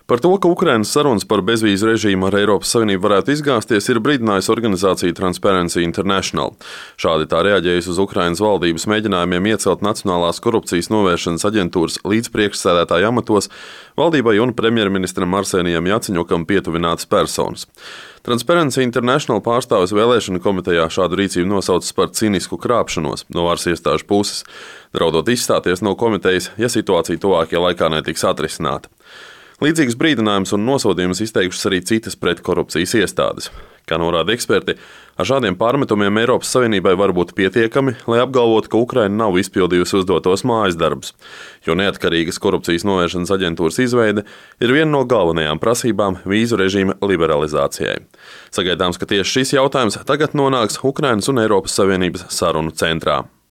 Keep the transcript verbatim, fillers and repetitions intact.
Par to, ka Ukrainas sarunas par bezvīzu režīmu ar Eiropas Savienību varētu izgāzties, ir brīdinājusi organizācija Transparency International. Šādi tā reaģējusi uz Ukrainas valdības mēģinājumiem iecelt Nacionālās korupcijas novēršanas aģentūras līdzpriekšsēdētāja amatos valdībai un premjerministram Arsenijam Jaceņukam pietuvinātas personas. Transparency International pārstāvis vēlēšanu komitejā šādu rīcību nosaucis par cinisku krāpšanos no varas iestāžu puses, draudot izstāties no komitejas, ja situācija tuvākajā laikā netiks atrisināta. Līdzīgs brīdinājums un nosodījums izteikušas arī citas pretkorupcijas iestādes. Kā norāda eksperti, ar šādiem pārmetumiem Eiropas Savienībai var būt pietiekami, lai apgalvotu, ka Ukraina nav izpildījusi uzdotos mājas darbus, jo neatkarīgas korupcijas novēršanas aģentūras izveide ir viena no galvenajām prasībām vīzu režīma liberalizācijai. Sagaidāms, ka tieši šis jautājums tagad nonāks Ukrainas un Eiropas Savienības sarunu centrā.